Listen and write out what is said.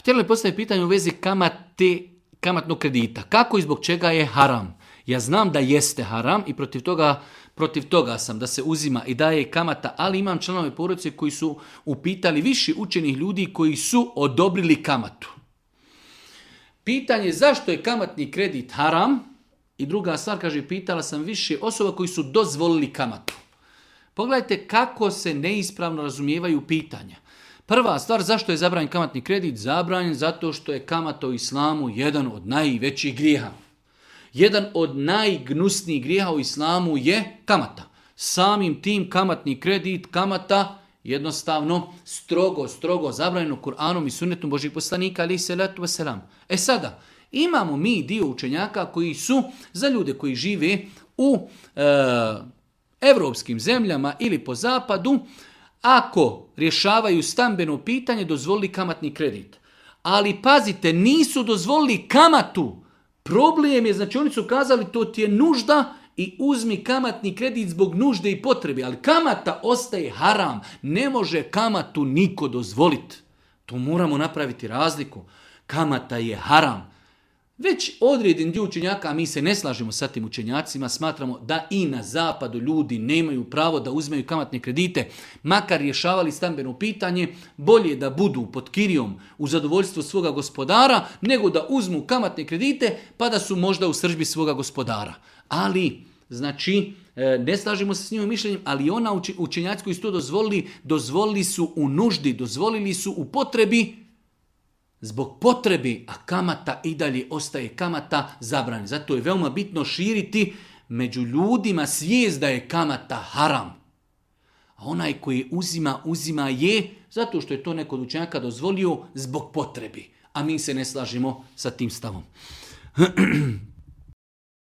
Htjeli postaviti pitanje u vezi kamatnog kredita. Kako i zbog čega je haram? Ja znam da jeste haram i protiv toga sam da se uzima i daje kamata, ali imam članove porodice koji su upitali više učenih ljudi koji su odobrili kamatu. Pitanje zašto je kamatni kredit haram i druga stvar, kaže, pitala sam više osoba koji su dozvolili kamatu. Pogledajte kako se neispravno razumijevaju pitanja. Prva stvar, zašto je zabranjen kamatni kredit? Zabranjen zato što je kamata u islamu jedan od najvećih grijeha. Jedan od najgnusnijih grijeha u islamu je kamata. Samim tim kamatni kredit, kamata, jednostavno strogo zabranjeno Kur'anom i sunnetom Božih poslanika, ali salatu wasalam. Sada, imamo mi dio učenjaka koji su za ljude koji žive u evropskim zemljama ili po zapadu, ako rješavaju stambeno pitanje, dozvolili kamatni kredit. Ali pazite, nisu dozvolili kamatu. Problem je, znači oni su kazali to ti je nužda i uzmi kamatni kredit zbog nužde i potrebe, ali kamata ostaje haram. Ne može kamatu niko dozvoliti. To moramo napraviti razliku. Kamata je haram. Već određen dio učenjaka, a mi se ne slažemo sa tim učenjacima, smatramo da i na zapadu ljudi nemaju pravo da uzmeju kamatne kredite, makar rješavali stambeno pitanje, bolje da budu pod kirijom u zadovoljstvu svoga gospodara, nego da uzmu kamatne kredite pa da su možda u sržbi svoga gospodara. Ali, znači, ne slažemo se s njim mišljenjem, ali ona učenjaci koji su to dozvolili su u nuždi, dozvolili su u potrebi, zbog potrebe, a kamata i dalje ostaje kamata zabranjena. Zato je veoma bitno širiti među ljudima svijest da je kamata haram. A onaj koji uzima je zato što je to neko od učenjaka dozvolio zbog potrebe. A mi se ne slažemo sa tim stavom.